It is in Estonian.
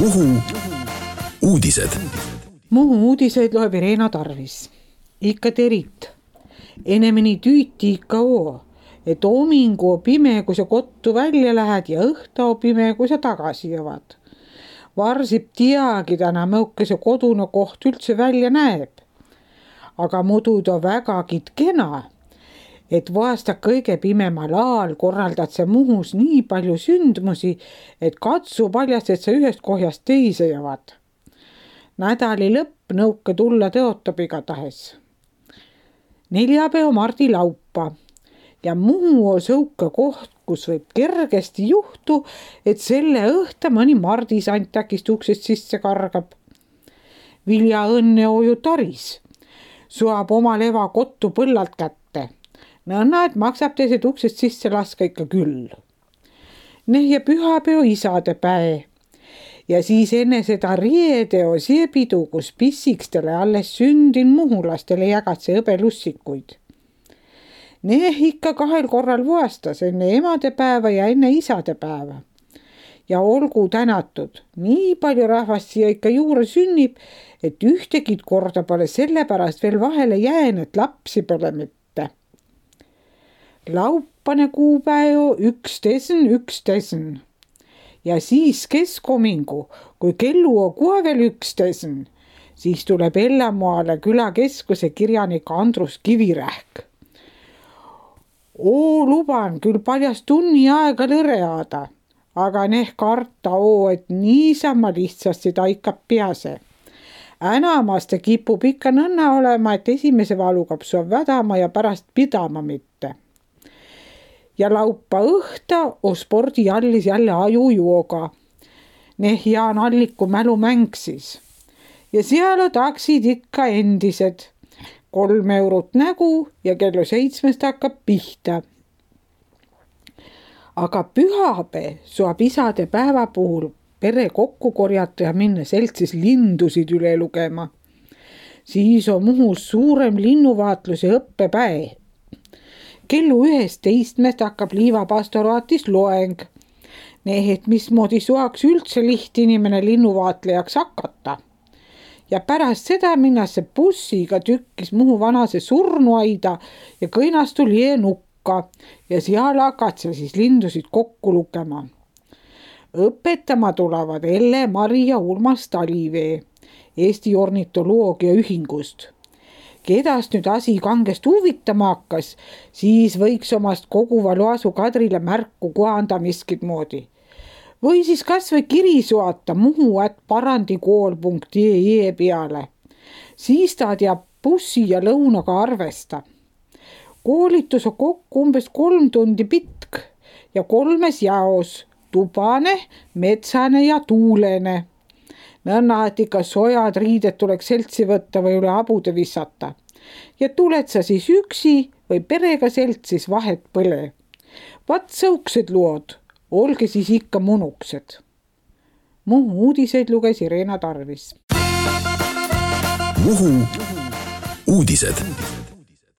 Muhu uudised. Muhu uudiseid loeb Irena Tarvis. Ikka terit. Enemeni tüüti ikka oo, et omingu pime, kui sa kottu välja lähed ja õhta pime, kui sa tagasi jõvad. Varsib tiagi täna mõuke see kodune koht üldse välja näeb. Aga mudu ta vägagi kena, et vaasta kõige pimemal aal korraldad sa Muhus nii palju sündmusi, et katsu paljast, et sa ühest kohjast teise jõvad. Nädali lõpp nõuke tulla tõotab igatahes. Neljapäev Mardi laupa ja Muhu on sõuke koht, kus võib kergesti juhtu, et selle õhta mõni mardisant äkist uksest sisse kargab. Vilja õnne oju Taris suab oma leva kottu põllalt kätte. Nõnna, et maksab teised uksest sisse laska ikka küll. Ja pühapäev isade päe. Ja siis enne seda riedeo siepidu, kus pissikstele alles sündin muhulastele jagatse hõbelussikuid. Ikka 2 korral vuastas, enne emadepäeva ja enne isadepäeva. Ja olgu tänatud, nii palju rahvast siia ikka juurde sünnib, et ühtekid korda pole sellepärast veel vahele jään, et lapsi pole mitte. Laupane kuupäev 11.11. Ja siis keskomingu, kui kellu on kohe veel 11, siis tuleb Ellamoale külakeskuse kirjanik Andrus Kivirähk. Luban küll paljast tunni aega lõreada, aga karta et niisama lihtsasti ta ikka pease. Enamasti kipub ikka nõnna olema, et esimese valukapsu on vädama ja pärast pidama mitte. Ja laupa õhta on spordiallis jälle ajujuoga. Jaan Alliku mälu mängsis. Ja seal on taksid ikka endised. 3 eurot nägu ja kello 7 hakkab pihta. Aga pühapäev suab isade päeva puhul pere kokku korjata ja minna seltsis lindusid üle lugema. Siis on Muhus suurem linnuvaatluse õppepäev. Kellu 11 hakkab Liiva pastoraatis loeng. Et mismoodi suaks üldse lihtinimene linnuvaatlejaks hakata. Ja pärast seda minnase bussiga tükkis Muhu vanase surnuaida ja kõinastu lie nukka ja seal hakatse siis lindusid kokku lugema. Õpetama tulevad Elle, Mari ja Urmas Talivee Eesti ornitoloogia ühingust. Kedast nüüd asi kangest huvitama hakkas, siis võiks omast koguva loasu Kadrile märku koanda miskit moodi. Või siis kas või kiri suata muhu@parandikool.ee peale. Siis ta teab bussi ja lõunaga arvesta. Koolitus on kokku umbes 3 tundi pitk ja 3 jaos: tubane, metsane ja tuulene. Nõnna, et ikka sojad riided tuleks seltsi võtta või üle abude vissata. Ja tuled sa siis üksi või perega seltsis, vahet põle. Vat sõuksed lood, olge siis ikka munuksed. Muhu uudiseid luges Irena Tarvis. Muhu uudised.